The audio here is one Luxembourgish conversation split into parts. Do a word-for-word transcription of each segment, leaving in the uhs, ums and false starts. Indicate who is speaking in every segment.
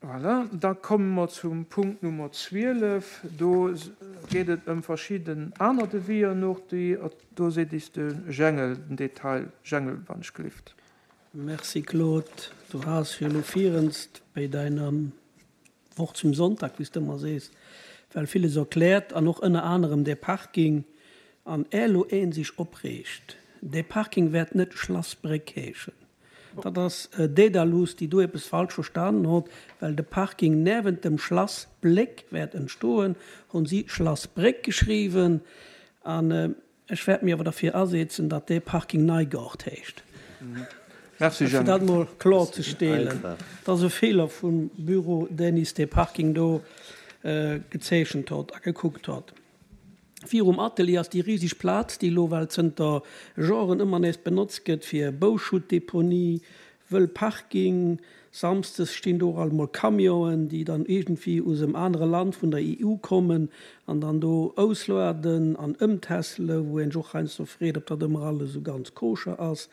Speaker 1: Voilà, da komme mer zum Punkt Nummer zwielef. Do geet et ëm verschidden aner Devisen och, déi, do seet is de Jengel den Detail. Jengel, wann ech gelift.
Speaker 2: Merci Claude. Du has jo elo virenst bei deiner Wort zum Sonntag, wéi s de ëmmer sees, well villes erkläert an och ënner anerem dee Parking. An är elo een sech opreegt, dee Parking wäert net Schlassbréck heeschen. Dat ass Dedalus, déi do eppes falsch verstanen hott, well de Parking niewent dem Schlass Bléck wäert entstoen, hunn si Schlassbréck geschriwwen. An ech wäert mir awer derfir asetzen, datt dee Parking Neigaart heescht.
Speaker 1: Merci
Speaker 2: Fir
Speaker 1: Jeanne.
Speaker 2: dat mol klorzestellen. Dat ass e Feeler vum Büro, deen is dee Parking do gezeechent hott a gekuckt hott. Virum Atelier ass déi riseg Plaz, déi elo well zënter Joren ëmmer nees benotzt gëtt fir Bauschuttdeponie, wëll Parking. Samsdes stinn do och alt mol Camionen, déi dann iergendwéi us em anere Land vun der E U kommen an dann do auslueden an ëmtässelen, wou een sech och heiansdo freet, ob dat ëmmer alles esou ganz koscher ass,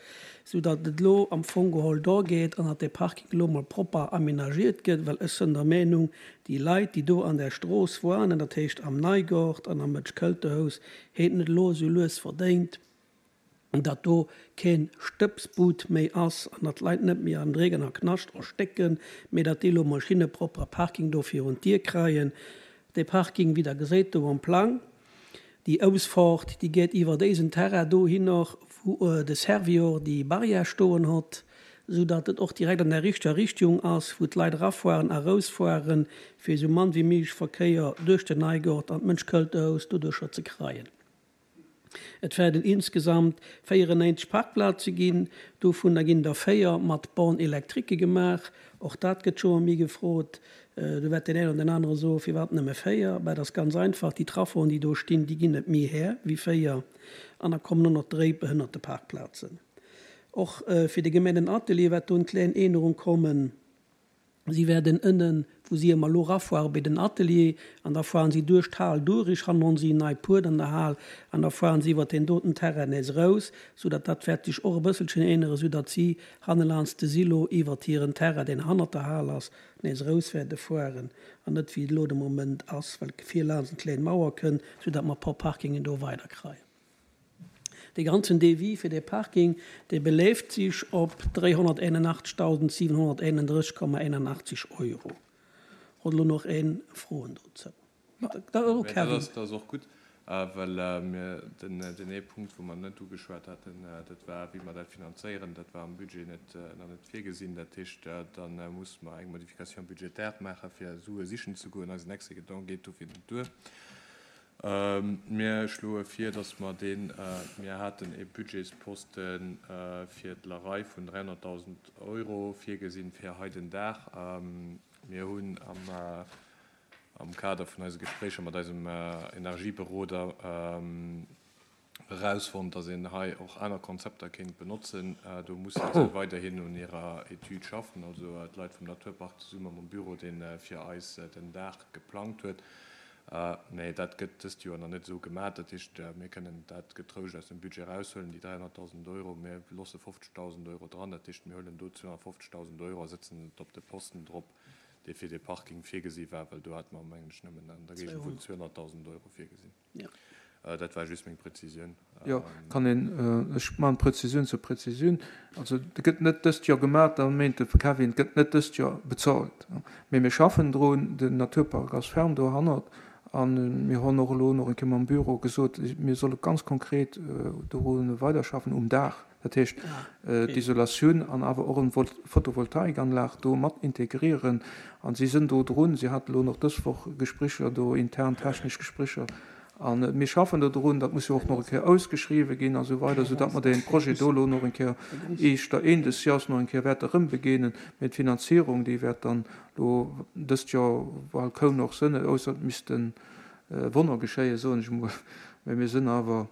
Speaker 2: sou datt et elo am Fong geholl do geet an datt dee Parking elo mol propper aménagiert gëtt, well ech sënn der Meenung, déi Leit, déi do an där Strooss woanen, dat heescht am Neigort an am Mëtsch-Költerhous, hätten et elo esou lues verdéint, datt do keen Stëbsbud méi ass an datt d'Leit net méi am Dreck an am Knascht erstécken, mee datt déi elo mol schinne propper Parking do virun d'Dier kreien. Dee Parking, wéi Der geséit do am Plang, déi Ausfahrt, déi geet iwwer déisen Terrain dohinner, wou de Servior déi Barrière stoen hott, sou datt et och direkt an der richteger Richtung ass, wou d'Leit erafueren a rausfueren, fir esou mann wéi méiglech Verkéier duerch den Neigort an d'Mënschkëlterhaus doduercher ze kreien. Et werden insgesamt véierenneinzeg Parkplaze ginn, dovunner ginn der véier mat Borne électrique gemaach. Och dat gëtt scho méi gefrot. Do wäert deen een oder den anere soen, firwat nëmme véier? Mä dat ass ganz einfach, déi Trafoen, déi do stinn, déi ginn net méi här wéi véier. An da kommen och nach Dréipe hënnert de Parkplazen. Och fir de Gemengenatelier wäert do eng kleng Ännerung kommen. Si werden ënnen, wou si ëmmer elo rafuere bei den Atelier, an da fueren si duerch d'Hal duerch, hannen hunn si en nei Puert an der Hal, an da fueren si iwwer den doten Terrain nees raus, sou datt dat wäert sech och e bësselchen änneren, sou datt si hannelaanscht de Silo iwwer hiren Terrain, deen hannert der Hal ass, nees raus wäerte fueren, an net wéi et elo de Moment ass, well vir laanscht eng kleng Mauer kënn, sou datt mer e puer Parkingen do weider kreien. De ganzen Devis fir de Parking, dee beléift sech op dräihonnerteinundachtzigtausendsiebenhunderteinunddreißig Komma einundachtzig Euro. Huet elo nach een Froen dozou? Da, oh,
Speaker 3: Nee, dat
Speaker 2: Kevin.
Speaker 3: ass, dat ass och gutt, well mir den, den ee Punkt, wou mer net ugeschwat haten, dat war, wéi mer dat finanzéieren. Dat war am Budget net, nach net virgesinn. Dat heescht, dann muss mer eng Modification budgétaire maachen, fir Sue sichen ze goen. Eisen Excédent geet dofir net duer. Mir schloe vir, dass mer den, mir haten e Budgetsposten fir d'Lerei vun dräihonnerttausend Euro virgesinn fir hei den Dag. Mir hunn am, am Kader vun eise Gespréicher mat eisem Energieberoder erausfonnt, dass een hei och aner Konzepter kéint benotzen. Do musse se weiderhin un hirer Etüd schaffen, also d'Leit vum Naturpark zesumme mam Büro, deen fir eis den Dag geplangt huet. Mee dat gëtt dëst Joer nach net esou gemaach. Dat heescht, mir kënnen dat getrouscht aus dem Budget raushuelen, déi dräihonnerttausend Euro. Mir losse fofzegtausend Euro dran. Dat heescht, mir huelen do zweehonnertfofzegtausend Euro a sëtzen et op de Posten drop, dee fir de Parking virgesi war, well do hat mer mengen ech nëmmen an der Géigend vun zweehonnerttausend Euro virgesinn.
Speaker 2: Ja.
Speaker 3: Dat war just meng Präzisioun.
Speaker 1: Jo, kann een, ech maachen Präzisioun zur Präzisioun. Also, et gëtt net dëst Joer gemaach, da meent de Kevin, et gëtt net dëst Joer bezahlt. Mee mir schaffen drun, den Naturpark ass ferm dohannert an mir hunn och elo nach eng Kéier mam Büro gesot, mir solle ganz konkret doru weiderschaffen um Daach. Dat heescht, d'Isolatioun an awer och eng Photovoltaikanlag do mat integrieren. An si sinn do drun, si haten elo nach dës Woch Gesprécher do, intern technesch Gesprécher. An mir schaffen do drun, dat muss jo och nach eng Kéier ausgeschriwwen ginn a sou weider, soudatt mer dee Projet do elo nach eng Kéier éischter Enn des Jahres nach eng Kéier wäerte erëm begéinen. Mee d'Finanzierung, déi wäert dann elo dëst Joer bal kaum nach sënn, ausser et missten Wonner geschéien, soen ech emol. Mee mir sinn awer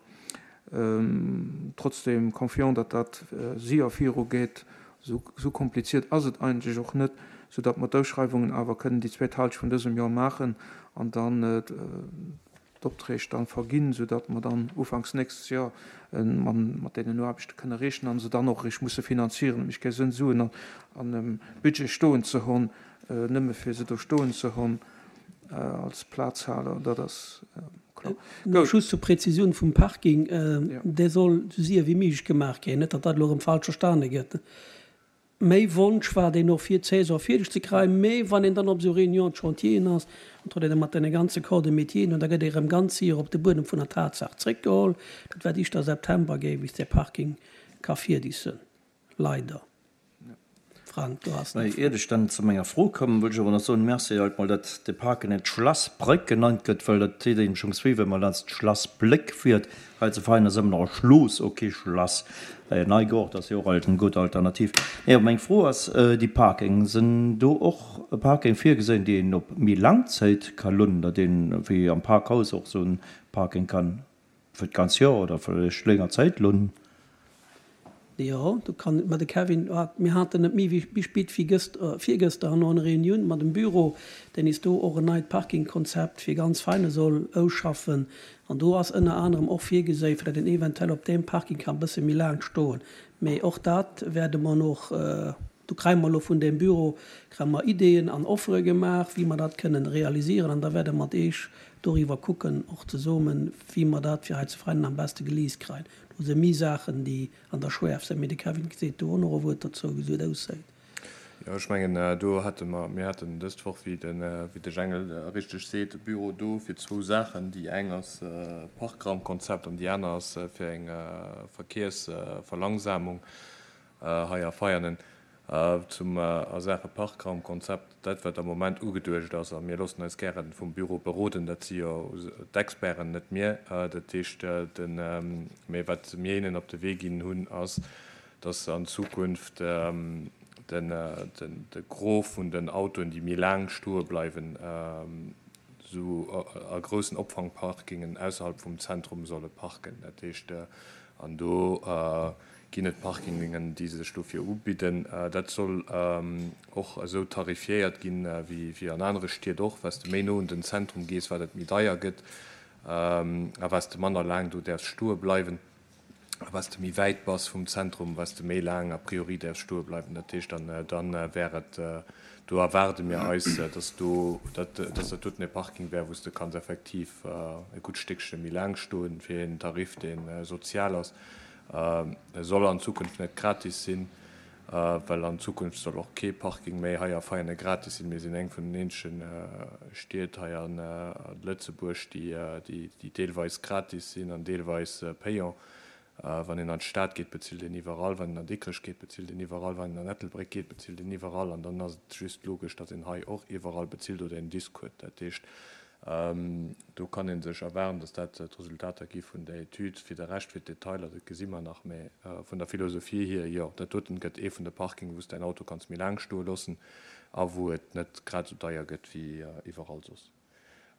Speaker 1: trotzdem confiant, datt dat séier virugeet. Sou, sou kompliziert ass et eigentlech och net, soudatt mer d'Ausschreiwungen awer kënnen déi zweet Hälscht vun dësem Joer maachen an dann d'Opträg dann verginn, soudatt mer dann ufanks nächstes Joer mat deenen Aarbechte kënne rechnen an se dann och eréischt musse finanzieren. Et mécht kee Sënn, Suen an em Budget stoen ze hunn, nëmme fir se do stoen ze hunn als Plazhaler. Dat ass kloer.
Speaker 2: Nach just zur Präzisioun vum Parking, Dee soll esou séier wéi méiglech gemaach ginn, net datt dat elo erëm falsch verstane gëtt. Méi Wonsch war deen och fir d'Saison fierdeg ze kreien, mee wann een dann op esou Réunions de chantieren ass, an trëtt een da mat deene ganze Corps de métieren un, da gëtt ee rëm ganz séier op de Buedem vun der Tatsaach zréckgeholl. Dat wäert éischter September géi bis dee Parking ka fierdeg sënn, leider. Frank, du has nach
Speaker 4: Mä iert ech dann zu menger Fro kommen, wëll ech awer nach soen, Merci alt mol, datt de Park net Schlassbréck genannt gëtt, well dat deet engem schonns wéi, wa mer laanscht d'Schlassbléck fiert. Hei zu Vein ass ëmmer nach e Schloss, ok, Schlass Neigoart ass jo och alt eng gutt Alternativ. Nee, awer meng Fro ass, déi Parking, sinn do och Parking virgesinn, déi een op méi laang Zäit ka lounen, datt een wéi am Parkhaus och esou en Parking kann fir d'ganz Joer oder vläicht länger Zäit lounen?
Speaker 2: Jo, do kann, ma de Kevin hat, mir haten net méi wéi méi spit wéi gëst, virgëster an eng Reunioun mat dem Büro, deen is do och en neit Parkingkonzept fir ganz Veine soll ausschaffen. An do ass ënner anerem och virgeséi, fir datt een eventuell op deem Parking kann e bësse méi laang stoen. Mee och dat wäerte mer noch, do kréie mer elo vun deem Büro, kréie mer Ideeën an Offere gemaach, wéi mer dat kënnen realisieren. An da wäerte mer mat Eech doriwwer kucken, och zesummen, wéi mer dat fir hei zu Veinen am beste geleast kréien. Do si méi Saachen, déi an der Schwärf sinn. Mee de Kevin seet do och nach e Wuert dozou, wéi et ausséit.
Speaker 3: Jo, ech mengen, do hate mer, mir haten dëst Woch, wéi de, wéi de Jengel richteg seet, e Büro do fir zwou Saachen. Déi eng ass Parkraumkonzept an déi aner ass fir eng Verkéiersverlangsamung hei a Veianen. Zum a Saache Parkraumkonzept, dat wat am Moment ugeduecht ass, a mir loossen eis gäre vum Büro beroden, dat si jo d'Experten, net mir, dat heescht, den, mee wat mir hinnen op de Wee ginn hunn, ass, dass an Zukunft den, den, de Gros vun den Autoen, déi méi laang stoe bleiwen, esou a groussen Opfangparkingen ausserhalb vum Zentrum solle parken. Dat heescht, an do ginn et Parkingen, déi sech dofir ubidden. Dat soll och esou tarifiéiert ginn, wéi an anere Stied och. Wat s de méi no un den Zentrum gees, wat et méi deier gëtt a wat s de manner laang do däerfs stoe bleiwen. A wat s de méi wäit bass vum Zentrum, wat s de méi laang a priori däerfs stoe bleiwen. Dat heescht, dann wär et, do erwaarde mir eis, dass do, dass dat doten e Parking wär, wou s de kanns effektiv e gutt Stéckche méi laang stoen, fir een Tarif, dee sozial ass. E soll an Zukunft net gratis sinn, well an Zukunft soll och kee Parking méi hei a Veianen gratis sinn. Mir sinn eng vun den eenzege Stied hei a Lëtzebuerg, déi deelweis gratis sinn an deelweis payant. Wann een an d'Stad geet, bezilt een iwwerall. Wann een an Dikrech geet, bezilt een iwwerall. Wann een an Ettelbréck geet, bezilt een iwwerall. An dann ass et just logesch, datt een hei och iwwerall bezilt oder een Disk huet. Dat heescht, Do kann ee sech erwaarden, dass dat d'Resultater gi vun der Etüd. Fir de Rescht, fir d'Detailer, dat gesi mer nach. Mä vun der Philosophie hier, jo, dat doten gëtt ee vun de Parkingen, wou s däin Auto kanns méi laang stoe loossen a wou et net grad esou deier gëtt wéi iwwerall soss.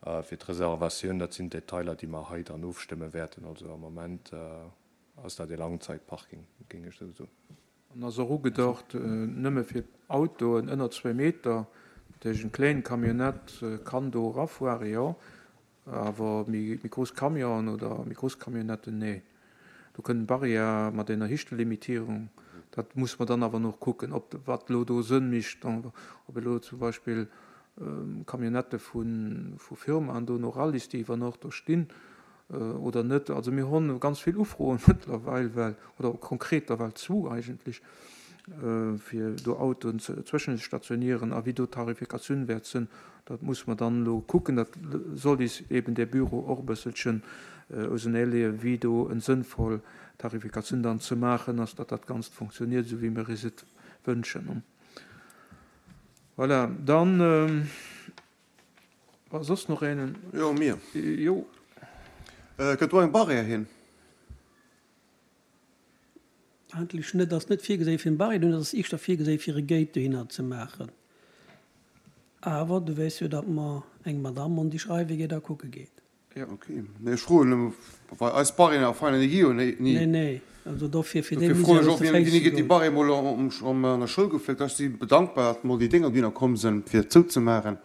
Speaker 3: Fir d'Reservatioun, dat sinn Detailer, déi mer hei dann ofstëmme wäerten. Also am Moment ass dat ee Langzeitparking, géing ech esou soen.
Speaker 1: An ass och ugedacht nëmme fir Autoen ënner zwee Meter. Dat heescht, eng kléin Camionnette kann do erafuere, jo, awer méi grouss Camionen oder méi grouss Camionnetten, nee. Do kënnt Barrière mat enger Hichtelimitierung. Dat muss mer dann awer nach kucken, ob wat elo do Sënn mécht, ob elo zum Beispill Camionnettë vu Firmaen do no eralisst, déi iwwer Nuecht do stinn. Oder net. Also mir hunn ganz vill Ufroen mëttlerweil, well, oder konkreter well zwou eigentlech, fir do Autoen zwëschenstationieren. A wéi do d'Tarifikatioun wäert sinn, dat muss mer dann elo kucken. Dat soll is eben dee Büro och e bësselchen auseneeleeën, wéi do en sënnvoll Tarifikatioun dann ze maachen ass, datt dat Ganzt funktioniert, esou wéi mir is et wënschen. Voilà, dann. War soss noch een?
Speaker 5: Jo, mir.
Speaker 1: Jo.
Speaker 5: Gëtt do eng Barrière hin?
Speaker 2: Eigentlech net. Ass net virgeséi fir eng Barrière dohinner, ass éischter virgeséi fir e Gate dohinner ze maachen. Awer du weess jo, datt mer eng Madamm hunn, déi schreiwe geet a kucke geet.
Speaker 5: Jo, ok. Nee, ech froen nëmme, well eis Barrièren a Feiner, déi gi jo ni.
Speaker 2: Nee, nee. Also dofir, fir
Speaker 5: déi Dofir froen ech och, wéini gëtt déi Barrière mol an der Schoul gefléckt? Ech si bedankbar, datt mol déi Dénger dohinner komm sinn, fir et zouzemaachen.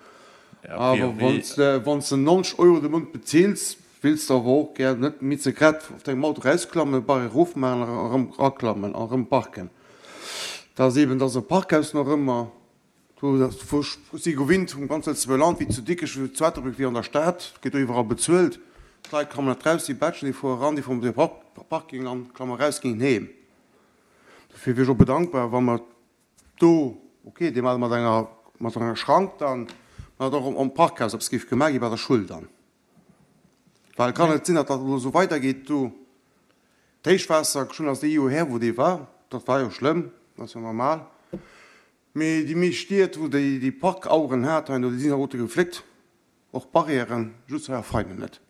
Speaker 5: Awer wann s de neunzeg Euro de Mount bezils, Wills de awer och gär net méi ze grad op dengem Auto rausklammen, Barrière erofmaachen a erëm eraklammen a erëm parken. Dat ass eben, dat ass e Parkhaus nach ëmmer. Do wou ech si gewinnt vum ganz Lëtzebuerger Land, wéi zu Dikrech, wéi zu Ettelbréck, wéi an der Stad, gëtt do iwwerall bezuelt. D'Leit klammen net raus, déi Batschen, déi fuere eran, déi fueren op de Parking an klamme raus, ginn heem. Dofir wier ech och bedankbar, wa mer do, okay, dee maache mat enger, mat enger Schrank dann, mä dat och am Parkhaus eppes géif gemaach gi bei der Schull dann. Well et kann net sinn, datt dat elo esou weidergeet do. D'Héichwaasser, schonn ass ee Joer här, wou dee war, dat war jo schlëmm, dat ass jo normal. Mee déi meescht Stied, wou déi déi Parkaueren hat, hei, déi sinn alleguerte gefléckt, och d'Barrièren, just hei a Veinen net.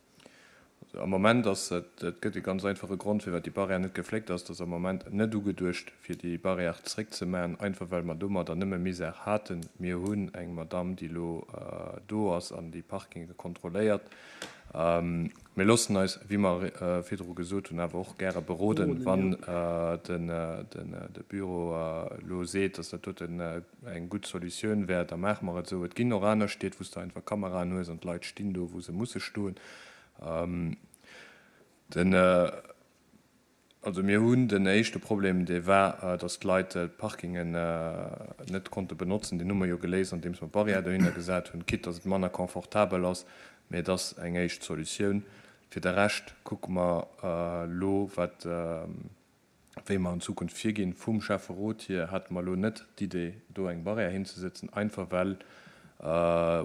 Speaker 3: Also am Moment ass et, et gëtt e ganz einfache Grond, firwat déi Barrière net gefléckt ass, et ass am Moment net ugeduecht, fir déi Barrière zréckzemaachen, einfach well mer domadder nëmme Misère haten. Mir hunn eng Madamm, déi elo do ass an déi Parkinge kontrolléiert. Mir loossen eis, wéi mer virdru gesot hunn, awer och gäre beroden, wann de Büro elo seet, dass dat doten eng gutt Solutioun wär, da maache mer et esou. Et ginn och aner Stied, wou s de einfach Kameraen hues an d'Leit stinn do, wou se musse stoen. Den. Also mir hunn den éischte Problem, dee war, datt d'Leit d'Parkingen net konnte benotzen. Deen hu mer jo geléist, andeems mer Barrière dohinner gesat hunn, quitte datt et manner confortabel ass, mee et ass eng éischt Solutioun. Fir de Rescht kucke mer elo, wat, wéi mer an Zukunft virginn. Vum Schäfferot hier hate mer elo net d'Idee, do eng Barrière hinzesëtzen, einfach well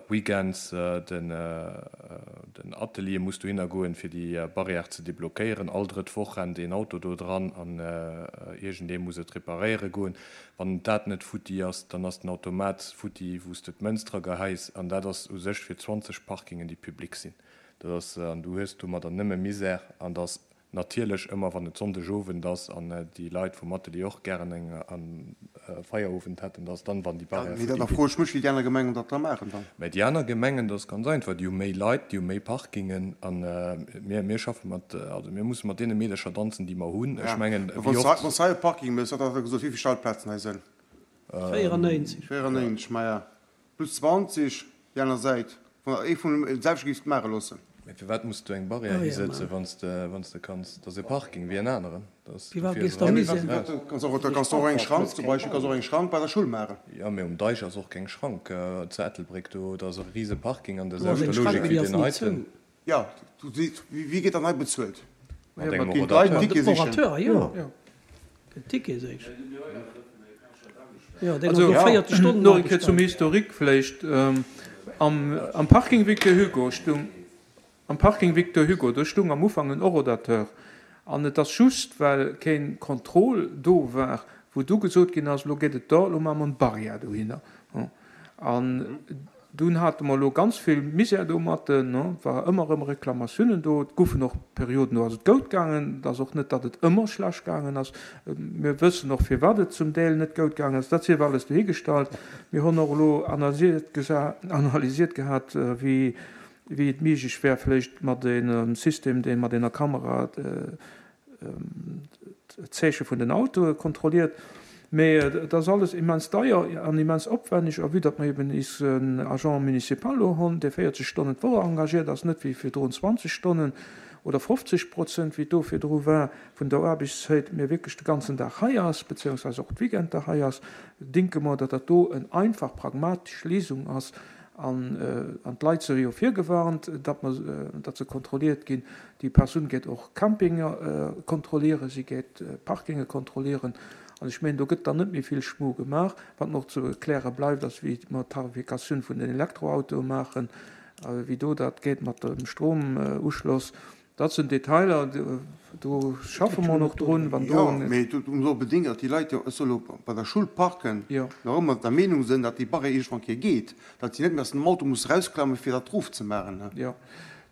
Speaker 3: Weekends, den Atelier muss dohinner goen, fir déi Barrière ze deblockéieren. All drëtt Woch rennt een Auto do dran an iergendee muss et reparéiere goen. Wann dat net futti ass, dann ass den Automat futti, wou s de d'Mënz dra geheis. An dat ass u sech fir zwanzeg Parkingen, déi public sinn. Dat ass, an du hues domadder nëmme Misär. An et ass Natierlech ëmmer wann et Sonndeg Owend ass an déi Leit vum Atelier och gären eng Feierowend hätten, dass dann wann déi Barrière
Speaker 5: futti geet. Mee da froe ech mech wéi déi aner Gemengen dat da maachen dann.
Speaker 3: Mä déi aner Gemengen, dat ass ganz einfach, déi hu méi Leit, déi hu méi Parkingen a mir, mir schaffe mat, also mir musse mat deene Meedercher danzen déi mer hunn. Ech mengen,
Speaker 5: wéi oft. Wann s de hei e Parking méchs, wat hat Der gesot, wéi vill Stellplazen hei sënn?
Speaker 2: véierenneinzeg.
Speaker 5: Véierenneinzeg, maja, plus zwanzeg déi aner Säit. Wann ee vun dem selwechte géif maache loossen.
Speaker 3: Mee firwat muss du eng Barrière hisëtzen, wann s de kanns? Dat ass e Parking wéi en aneren.
Speaker 2: Firwat gees de
Speaker 5: misén? Da kanns du och eng Schrank zum Beispill, kanns och eng Schrank bei der Schull maachen.
Speaker 3: Jo, mee um Deich ass och keng Schrank zu Ettelbréck. Do ass e rise Parking an der selwechter Logik wéi deen heiten.
Speaker 5: Jo, wéi gëtt dann hei bezuelt?
Speaker 3: Mat engem Rodateur.
Speaker 5: Ginn d'Leit en Ticket sichen?
Speaker 2: Rodateur, jo. Gëtt Ticket sichen. Jo, deen ass no véierzeg Stonnen
Speaker 1: Nach eng Kéier zum Historique vläicht. Am Parking Victor Hugo stung, am Parking Victor Hugo, do stung am Ufank en Horodateur. An et ass just, well keen Contrôle do war, wou du gesot ginn ass, elo geet et do, elo maache mer en Barrière dohinner. An dunn hate mer elo ganz vill Misär domatten, et war ëmmer erëm Reklamatiounen do. Et goufen och Perioden, do ass et goud gaangen. Et ass och net, datt et ëmmer schlecht gaangen ass. Mir wëssen och, firwat et zum Deel net goud gaangen ass. Dat sief alles dohigestallt. Mir hunn och elo analysiert gehat, wéi et méiglech wär, vläicht mat engem System, dee mat enger Kamera d'Zeeche vun den Autoe kontrolliert. Mee et ass alles immens deier an immens opwenneg. A vue datt mer eben isen Agent municipal elo hunn, dee véierzeg Stonnen d'Woch engagiert ass, net wéi virdrun zwanzeg Stonnen oder fofzeg Prozent, wéi et do virdru war, vun der Aarbechtszäit, mee wierklech de ganzen Dag hei ass, beziehungsweise och d'Weekender hei ass, denke mer, datt dat do en einfach pragmatesch Léisung ass. An d'Leit si jo virgewarnt, datt mer, datt se kontrolliert ginn. Déi Persoun geet och Campinge kontrollieren, si geet Parkinge kontrollieren. An ech mengen, do gëtt dann net méi vill Schmu gemaach. Wat nach ze kläre bleift, ass, wéi mer d'Tarifikatioun vun den Elektroautoe maachen, wéi do dat geet mat dem Stromuschloss. Dat sinn Detailer, do schaffe mer nach drun. Wann do.
Speaker 5: Jo, mee et muss och bedéngen, datt déi Leit, jo, ech soll elo bei der Schull parken, nach ëmmer der Meenung sinn, datt déi Barrière iergendwann eng Kéier geet, datt si net méi aus dem Auto musse erausklammen, fir dat erofzemaachen.
Speaker 1: Jo,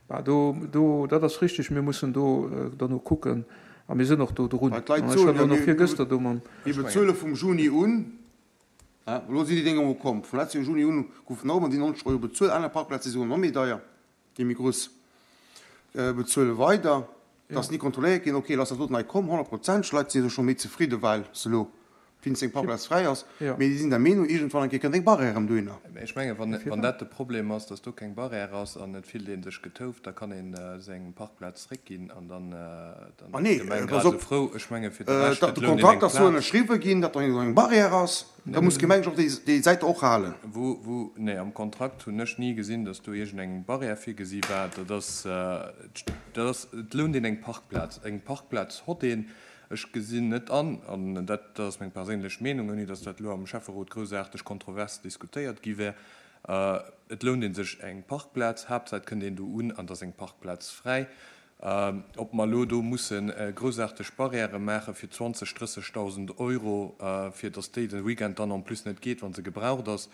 Speaker 1: bah, do, do, dat ass richtig. Mir mussen do derno kucken a mir sinn och do drun.
Speaker 5: Well d'Leit
Speaker 1: Ech
Speaker 5: soen
Speaker 1: hat
Speaker 5: jo,
Speaker 1: elo nach
Speaker 5: mir,
Speaker 1: virgëster do mam.
Speaker 5: mir bezuele vum Juni un, elo sinn déi Dénger emol komm, vum letzte Joer Juni un goufen nach ëmmer déi neunzeg Euro bezuelt, aner Parkplaze si souguer nach méi deier. Déi méi grouss bezuele weider, et ass ni kontrolléiert ginn. Ok, elo ass dat doten hei komm, honnertprozenteg, d'Leit si jo scho méi zefridde well se elo wéinst eng Parkplaz fräi ass, mee déi sinn der Meenung, iergendwann eng Kéier kënnt eng Barrière erëm dohinner.
Speaker 3: Mä ech mengen, wann, wann dat de Problem ass, dass do keng Barrière ass an et fillt ee sech getouft, da kann ee seng Parkplaz zréckginn an dann, dann
Speaker 5: Ah
Speaker 3: ass
Speaker 5: nee,
Speaker 3: d'Gemeng
Speaker 5: pass
Speaker 3: grad esou
Speaker 5: op,
Speaker 3: frou. Ech menge fir de Rescht,
Speaker 5: datt
Speaker 3: et
Speaker 5: de
Speaker 3: lount een eng
Speaker 5: Kontrakt ass sou
Speaker 3: Plaz.
Speaker 5: ënnerschriwwe ginn, datt do eng Barrière ass, da muss d'Gemeng sech och déi, déi Säit och halen.
Speaker 3: Wou, wou, nee, am Kontrakt hunn ech ni gesinn, dass do iergendeng Barrière virgesi war. Dat ass, dat ass, et lount een eng Parkplaz. Eng Parkplaz hott een. Ech gesinn net an, an dat ass meng perséinlech Meenung, ouni dass dat elo am Schäfferot groussaarteg kontrovers diskutéiert gi wär, et lount ee sech eng Parkplaz, Haaptsaach et kënnt een do un an et ass eng Parkplaz fräi. Ob mer elo do musse groussaarteg Barrièrë maache fir zwanzeg, drëssegdausend Euro, fir dass déi de Weekend dann en plus net geet, wa se gebraucht ass,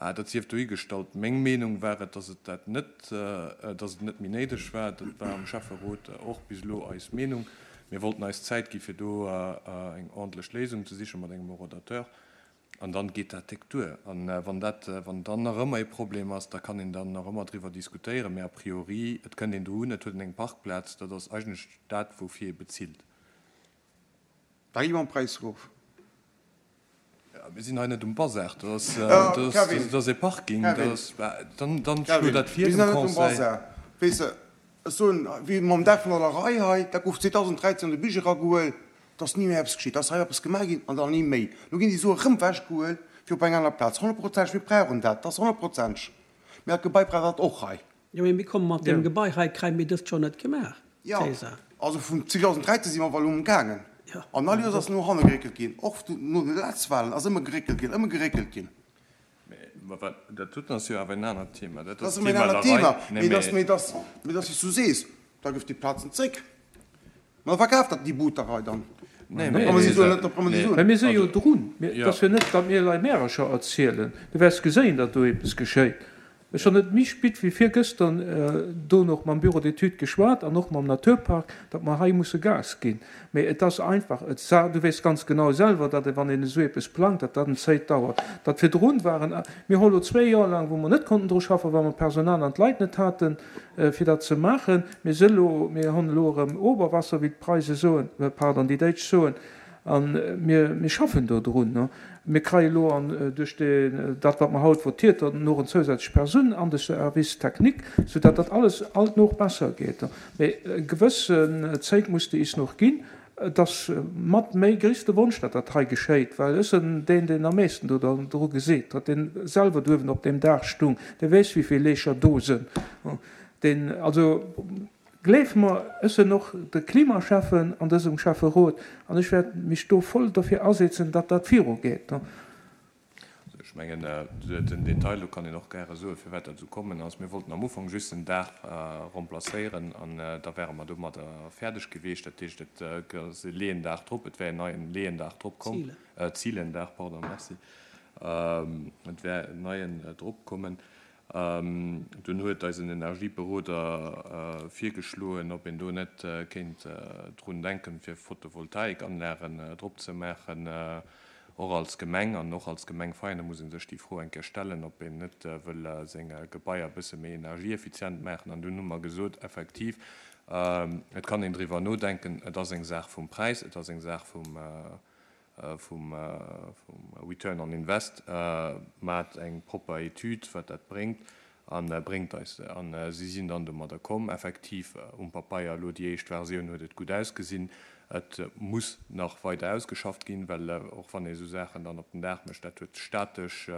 Speaker 3: Bah, dat sief dohigestallt. Meng Meenung war et, dass et dat net, dass et net méi néideg war. Dat war am Schäfferot och bis elo eis Meenung. Mir wollten eis Zäit gi fir do eng ordentlech Léisung ze siche mat engem Horodateur. An dann geet dat déck duer. An wann dat, wann dann nach ëmmer ee Problem ass, da kann een dann nach ëmmer driwwer diskutéieren. Mä a priori, et kënnt een do un, et huet een eng Parkplaz, dat ass eigentlech dat, woufir ee bezilt.
Speaker 5: Da gi mer am Präis erof.
Speaker 3: Mir sinn hei net um Bazar, dat ass e Parking, dann schlo dat vir dem Conseil.
Speaker 5: Weess de, ech soen, wéi mam Dag vun der Lerei hei, dat gouf zweedausenddräizéng an de Budget eragehuel, et ass ni méi eppes geschitt, da ass hei eppes gemaach ginn an dann ni méi. Lo ginn déi Sue rëm ewechgehuel fir op eng aner Plaz. Honnertprozenteg, mir brauchen dat, dat ass honnertprozenteg, mä dat Gebai brauch dat och hei.
Speaker 2: Jo, mee mir komme mat deem Gebai hei, kréie mir dëst Joer net gemaach,
Speaker 5: Jo,
Speaker 2: César.
Speaker 5: also vun zweedausenddräizéng si mer awer elo emgaangen. An all Joers ass no hanne geréckelt ginn, och no de letzte Wahlen ass ëmmer geréckelt ginn, ëmmer geréckelt ginn.
Speaker 3: Mä wat dat doten ass jo awer en anert Thema. Dat
Speaker 5: Dat
Speaker 3: ass
Speaker 5: ass ëmmer en
Speaker 3: d'Thema
Speaker 5: anert
Speaker 3: Lerei.
Speaker 5: Thema,
Speaker 3: Nee,
Speaker 5: mee dass,
Speaker 3: mä.
Speaker 5: mee dass, mee dass, wéi s du sees, da gëff déi Plazen zréck. Mä da verkaf dat déi Butterei dann.
Speaker 3: Nee,
Speaker 5: Da
Speaker 3: mä
Speaker 5: brauche mer si Suen net, da brauche mer déi
Speaker 3: nee.
Speaker 5: Suen.
Speaker 1: Mä mir si jo
Speaker 3: Also,
Speaker 1: drun. Mir, et
Speaker 3: jo.
Speaker 1: ass jo net, datt mir lei Märercher erzielen. Du wäers geséien, datt do eppes geschéit. Ech hunn net méi spit wéi virgëschter do nach mam Bureau d'études geschwat an och mam Naturpark, datt mer hei musse Gas ginn. Mee et ass einfach, et sa, du weess ganz genau selwer, datt e wann een esou eppes plangt, datt dat en Zéit dauert. Dat virdrun waren, mir hu lo zwee Joer laang, wou mer net konnten dru schaffen, well mer d'Personal an d'Leit net haten, fir dat ze maachen. Mir si lo, mir hunn elo erëm Oberwasser, wéi d'Preise soen, pardon, déi Déitsch soen. A mir, mir schaffen do drun. Mir kreie lo an duerch dat, wat mer haut votiert hunn, och en zousätzlech Persoun an de Service technique, soudatt dat alles alt nach besser geet. Mee e gewëssen Zéit muss de is nach ginn. Et ass mat méi gréisste Wonsch, datt dat hei geschéit, well ech sinn deen, deen am meesten do dru geseet huet, deen selwer duerwen op deem Daach stung, dee weess, wéi vill Leecher do sinn. Deen, also gleef mer, ech sinn och de Klimaschäffen an dësem Schäfferot an ech wäert mech do voll dofir asetzen, datt dat virugeet.
Speaker 3: Also ech mengen, den Detail, do kann een och gäre soen, firwat dat esou kommen ass. Mir wollten am Ufank just den Daach remplacéieren an da wäre mer domadder fäerdeg geweecht. Dat heescht, et ass e Leeëndaach drop, et wär en neien Leeëndaach drop komm, Zielendaach, pardon, merci, et wär en neien drop kommen. Dunn huet eisen Energieberoder virgeschloen, ob een do net kéint drun denken, fir Photovoltaikanlagen drop ze maachen, och als Gemeng. An och als Gemeng Veianen muss ee sech déi Fro eng Kéier stellen, ob een net wëll seng Gebaier e bësse méi energieeffizient maachen. An dunn hu mer gesot, effektiv, et kann een driwwer nodenken, et ass eng Saach vum Präis, et ass eng Saach vum, vum Return on Invest, maacht eng propper Etüd, wat dat bréngt, a bréngt eis se. A si sinn dann domadder komm. Effektiv, um Papeier elo déi éischt Versioun huet et gutt ausgesinn. Et muss nach weider ausgeschafft ginn, well och wann ee esou Saachen dann op den Dag mécht, dat huet statesch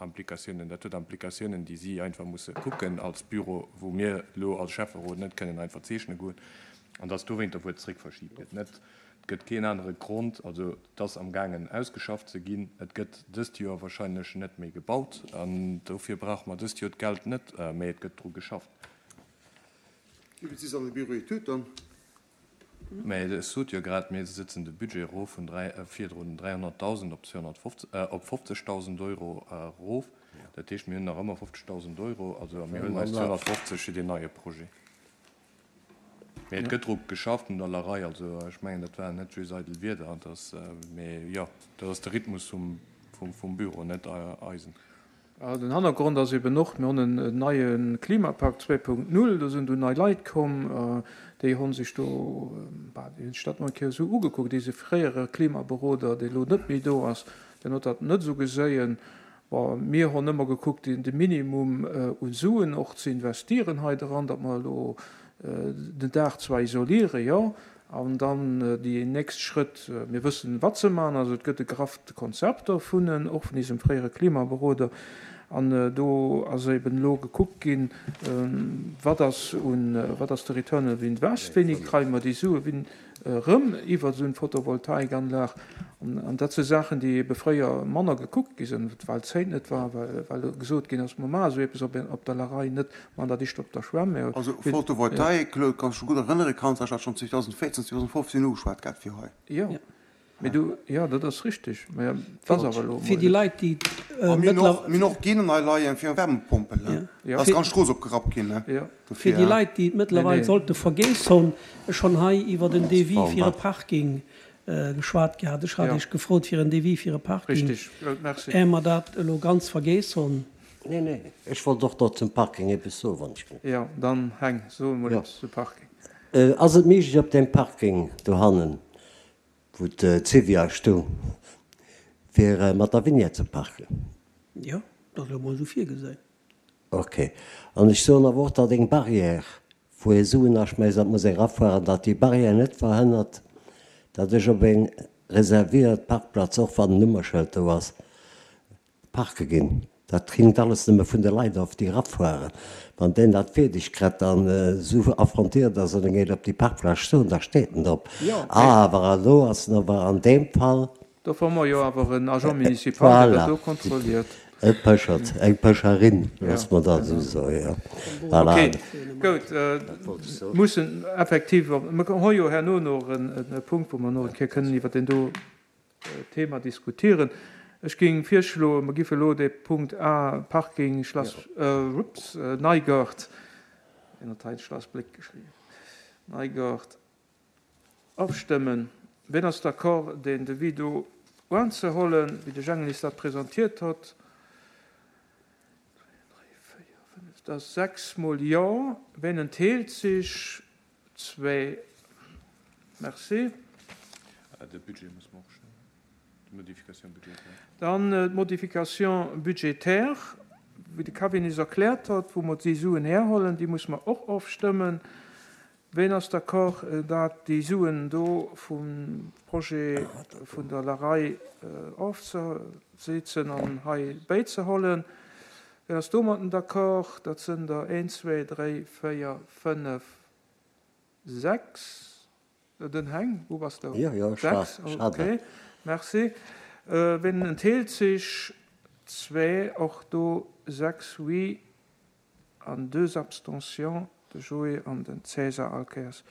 Speaker 3: Implikatiounen, dat huet Implikatiounen, déi si einfach musse kucken als Büro, wou mir elo als Schäfferot net kënnen einfach zeechne goen, an dass dowéinter, wou et zréckverschiebt gëtt, net. Et gëtt keen anere Grond. Also et ass amgaangen ausgeschafft ze ginn. Et gëtt dëst Joer wahrscheinlech net méi gebaut an dofir brauche mer dëst Joer d'Geld net, mä et gëtt dru geschafft.
Speaker 5: Wéi vill si se an de Bureau d'études dann?
Speaker 3: Mä ech sot jo grad, mir sëtzen de Budget erof vun dräi, virdrun dräihonnertdausend op zweehonnertfofzeg, op fofzegdausend Euro erof. Dat heescht, mir hunn nach ëmmer fofzegdausend Euro, also mir huelen eis zweehonnertfofzeg fir deen neie Projet. Mee et gëtt dru geschafft un der Lerei. Also ech mengen, dat waren net just eidel Wierder. Dat ass, mee jo, dat ass de Rhythmus vum, vum, vum Büro, net eisen.
Speaker 1: Den Hannergrond ass eben och, mir hunn en neie Klimapakt zwee Punkt null, do sinn du nei Leit komm, déi hu sech do, bah, déi hunn sech dat mol eng Kéier esou ugekuckt. Eise fréiere Klimaberoder, dee lo net méi do ass, deen huet dat net esou geséien. Bon, mir hunn ëmmer gekuckt, de Minimum u Suen och ze investieren hei dran, datt mer elo den Daach zwar isolieren, jo, an dann déi nächst Schrëtt, mir wëssen, wat se maachen, also et gëtt e grafft Konzept dovun, och vun eisem fréiere Klimaberoder, an do ass eben elo gekuckt ginn, wat ass un, wat ass de Return of Invest, wéini kréie mer déi Sue erëm iwwer esou eng Photovoltaikanlag. An dat si Saachen, déi ebe fréier manner gekuckt gi sinn, well d'Zéit net war, well gesot ginn ass, mer maache esou eppes op der Larei net, mer maachen dat éischter op der Schwämm. Mä
Speaker 5: Also Photovoltaik, Claude, kanns dech gutt erënnere, kanns ech dat schonn zweedausendvéierzehn, zweedausendfofzehn ugeschwat gehat fir hei.
Speaker 1: Jo, mee du, jo, dat ass richtig, mä et ass awer elo
Speaker 2: Fir déi Leit, déi
Speaker 5: A mir hunn och, mir hunn och Genen hei leien fir Wärmepompel, ne?
Speaker 1: Jo.
Speaker 5: Da ass d'ganz Strooss opgerappt ginn, ne?
Speaker 1: Jo.
Speaker 2: Fir
Speaker 1: Dofir.
Speaker 2: déi Leit, déi et mëttlerweil
Speaker 1: Nee, nee.
Speaker 2: sollte vergeess hunn, ech hunn hei iwwer en Devis fir e Parking geschwat gehat. Ech hat
Speaker 1: Jo.
Speaker 2: Iech gefrot fir en Devis fir e Parking,
Speaker 1: Richtig, Claude, merci.
Speaker 2: är mer dat elo ganz vergeess hunn.
Speaker 6: Nee, nee, ech wollt och do zum Parking eppes soen, wann ech.
Speaker 1: Jo, dann Heng, so emol
Speaker 6: Jo.
Speaker 1: eppes zum Parking.
Speaker 6: Ass et méiglech op deem Parking dohannen, wou d'Civia stoung, fir mat der Vignette ze parken?
Speaker 2: Jo, dat ass elo mol esou virgesinn.
Speaker 6: Ok. An ech soen awer och, datt eng Barrière, wou ee Suen aschmäisst an et muss ee erafueren, datt déi Barrière net verhënnert, datt ech op eng reserviert Parkplaz, och wann en Nummerschëld do ass, parke ginn. Dat hinkt alles nëmme vun de Leit of, déi erafueren. Wann deen dat fierdeg kritt an esou affrontiert ass an e geet op déi Parkplaz stoen, da steet en drop.
Speaker 1: Jo, mee.
Speaker 6: Awer elo ass en awer an deem Fall.
Speaker 1: Dofir hu mer jo awer en Agent municipal, deen dat
Speaker 6: Voilà.
Speaker 1: do kontrolliert.
Speaker 6: E Pëschert, eng Pëscherin,
Speaker 1: Ja,
Speaker 6: loosse mer dat
Speaker 1: genau.
Speaker 6: esou soen, jo. Voilà.
Speaker 1: Okay, goud.
Speaker 6: Dat wollt ech soen.
Speaker 1: Mussen effektiv, mer hu jo herno nach en Punkt, wou mer nach eng Kéier kënnen iwwert deen do Thema diskutieren. Ech géing virschloen, mer géife elo dee Punkt A, Parking Schlass, ups, Neigart, en huet hei Schlass Bléck geschriwwen, Neigart, ofstëmmen. Wien ass d'accord, deen Devis do unzehollen, wéi de Jengel is dat presentiert huet? Dräi, véier, fënnef, dat ass sechs mol Jo. Wien enthält sech? Zwee. Merci.
Speaker 3: De Budget muss mer och stëmmen, d'Modification budgétaire.
Speaker 1: Dann d'Modification budgétaire, wéi de Kevin is erkläert huet, wou mer déi Suen herhollen, déi muss mer och ofstëmmen. Wien ass d'accord, dat déi Suen do vum Projet vun der Larei ofzesetzen an hei bäizehollen? Wien ass domatten d'accord? Dat sinn der een, zwee, dräi, véier, fënnef, sechs. Den Heng, wou bass du?
Speaker 6: Jo, jo, ech war,
Speaker 1: Sechs,
Speaker 6: ech hat
Speaker 1: okay,
Speaker 6: dat.
Speaker 1: merci. Wien enthält sech? Zwee, och do sechs oui an deux abstentions, de Joé an den César Alkers.